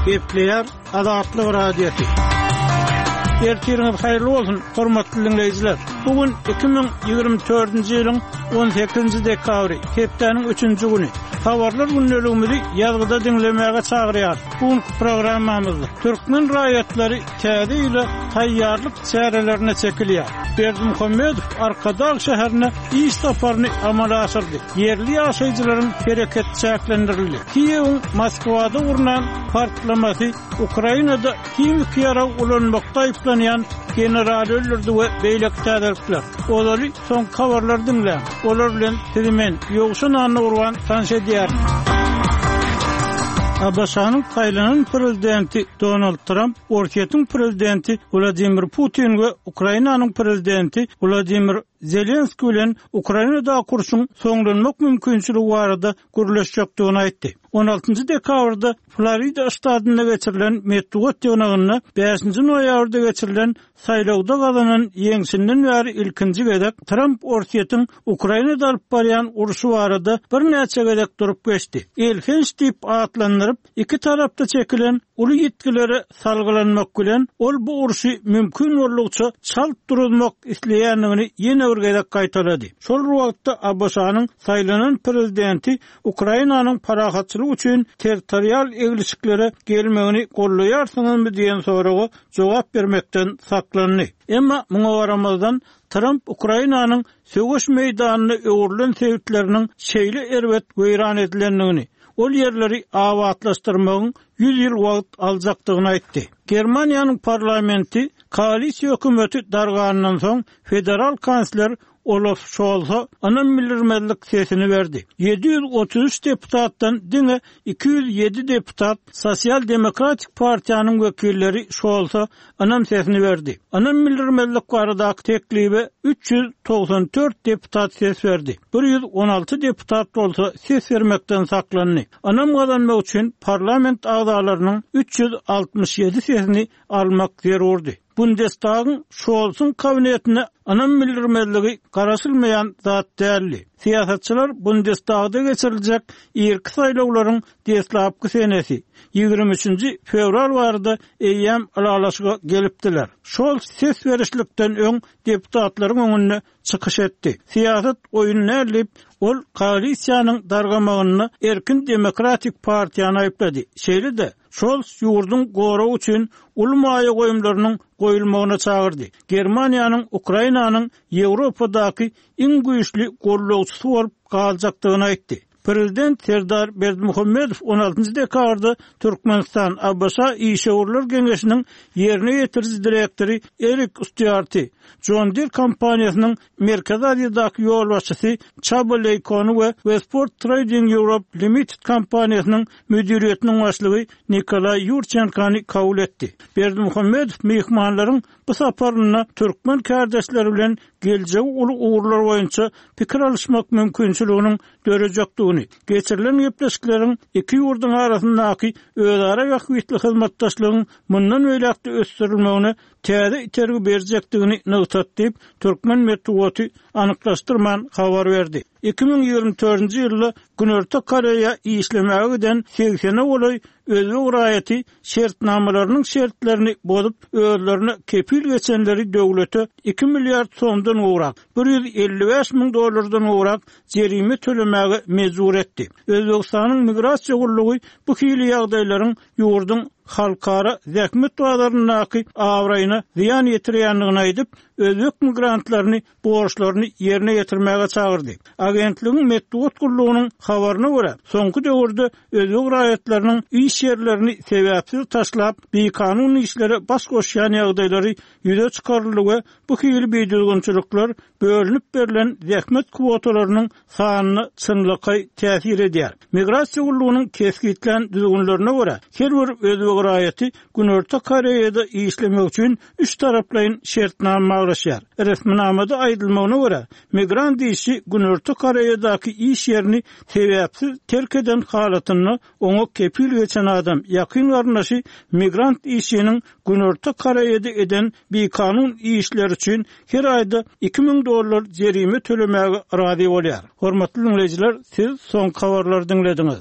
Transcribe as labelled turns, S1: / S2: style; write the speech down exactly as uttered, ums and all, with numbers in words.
S1: Gepleýär Azatlyk Radiosy. Ertiriňiz haýyrly bolsun, hormatly diňleýjiler. Bu gün iki müň ýigrimi dördünji ýylyň on sekizinji dekabry, hepdäniň üçünji güni. Habarlar gündeligimizi ýazgyda diňlemäge çagyrýar. Bu günki programmamyzda türkmen raýatlary täze ýyla taýýarlyk çärelerine çekilýär. Berdimuhamedow Arkadag şäherine iş saparyny amala aşyrdy. Ýerli ýaşaýjylaryň hereketi çäklendirildi. Kiýewiň Moskwada gurnan partlamasy Ukrainada himiki ýarag ulanmakda aýyplanýan generaly öldürdi we beýleki täzelikler. Ozaly soňky habarlary diňläň. Olar bilen sizi men, Ýowşan Annagurban tanyş edýärin. A B Ş-nyň saýlanan prezidenti Donald Tramp, Orsýetiň prezidenti Wladimir Putin we Ukrainanyň prezidenti Wladimir Zelenskiý bilen Ukrainadaky urşuň soňlanmak mümkinçiligi barada gürleşjekdigini aýtdy. On altynjy dekabrda Florida ştatynda geçirilen metbugat ýygnagynda bäşinji noýabrda geçirilen saýlawda gazanan ýeňşinden bäri ilkinji gezek Tramp Orsýetiň Ukrainada alyp barýan urşy barada birnäçe gezek durup geçdi. Elhenç diýip atlandyryp, iki tarapda çekilen uly ýitgilere salgylanmak bilen ol bu urşy mümkin boldugyça çalt duruzmak isleýändigini ýene bir gezek gaýtalady. Şol wagtda A B Ş-nyň saýlanan prezidenti Ukrainanyň parahatçylyk üçin territorial eglişiklere gelmegini gollaýarsyňyzmy diýen soraga jogap bermekden saklandy. Emma muňa garamazdan Tramp Ukrainanyň söweş meýdanyna öwrülen sebitleriniň şeýle erbet weýran edilendigini, ol ýerleri abatlaşdyrmagyň ýüz ýyl wagt aljakdygyny aýtdy. Germaniýanyň parlamenti koalisiýa hökümeti dargandan soň federal kansler Olaf Scholz'a ynam bildirmezlik sesini berdi. Ýedi ýüz otuz üç deputatdan diňe iki ýüz ýedi deputat Sosial Demokratik Partiýanyň wekilleri Scholz'a ynam sesini berdi. Ynam bildirmezlik baradaky teklibe üç ýüz togsan dört deputat ses berdi. Bir ýüz on alty deputat bolsa ses bermekden saklandy. Ynam gazanmak üçin parlament agzalarynyň üç ýüz altmyş ýedi sesini almak zerurdy. Bundestagyň Scholz'un kabinetine ynam bildirmezligi garaşylmaýan zat däldi. Syýasatçylar Bundestagda geçiriljek irki saýlawlaryň deslapky senesi ýigrimi üçünji fewral barada eýýäm ylalaşyga gelipdiler. Scholz ses berişlikden öň deputatlaryň öňünde çykyş etdi. Syýasat oýun däl diýip, ol koalisiýanyň dargamagyny Erkin Demokratik Partiýany aýyplady. Şeýle-de Scholz ýurduň goragy üçin uly maýa goýumlarynyň goýulmagyna çagyrdy. Germaniýanyň Ukrainanyň Ýewropadaky iň güýçli gollagçysy bolup galjakdygyny aýtdy. Prezident Serdar Berdimuhamedow on altynjy dekabrda Türkmenistan A B Ş Işewürler Geňeşiniň ýerine ýetiriji direktory Erik Stýuarty, John Deere kompaniýasynyň Merkezi Aziýadaky ýolbaşçysy Çaba Leýkony we Westport Trading Europe Limited kompaniýasynyň müdiriýetiniň başlygy Nikolaý Ýurçenkany kabul etdi. Berdimuhamedow myhmanlaryň bu saparynda türkmen kardeşleri bilen geljegi uly ugurlar boýunça pikir alyşmak mümkinçiliginiň dörejekdigini, geçirilen gepleşikleriň iki ýurduň arasyndaky özara bähbitli hyzmatdaşlygyň mundan beýläk-de ösdürilmegine täze itergi berjekdigini nygtady diýip, türkmen metbugaty anyklaşdyrman habar berdi. Iki müň ýigrimi dördünji ýylda Günorta Koreýa işlemäge giden segsene golaý özbek raýaty şertnamalarynyň şertlerini bozup, özlerine kepil geçenleri döwlete iki milliard somdan gowrak, bir ýüz elli bäş müň dollardan gowrak jerime tölemäge mejbur etdi. Özbekistanyň migrasiýa gullugy bu hili ýagdaýlaryň ýurduň halkara zähmet bazaryndaky abraýyna zyýan ýetirýändigini aýdyp, özbek migrantlaryny borçlaryny ýerine ýetirmäge çagyrdy. Agentligiň metbugat gullugynyň habaryna görä, soňky döwürde özbek raýatlarynyň iş ýerlerini sebäpsiz taşlap, bikanun işlere baş goşýan ýagdaýlary ýüze çykaryldy we bu hili bidüzgünçilikler bölünip berlen zähmet kwotalarynyň sanyna çynlakaý täsir edýär. Migrasiýa gullugynyň kesgitlän düzgünlerine görä, her bir özbek raýaty Günorta Koreýada işlemek üçin üç taraplaýyn şertnama baglaşýar. Resminamada aýdylmagyna görä, migrant işçi Günorta Koreýadaky iş ýerini sebäpsiz terk eden halatynda oňa kepil geçen adam ýakyn garyndaşy migrant işçiniň Günorta Koreýada eden bikanun işleri üçin her aýda iki müň dollar jerime tölemäge razy bolýar. Hormatly dinleýjiler, siz soňky habarlary diňlediňiz.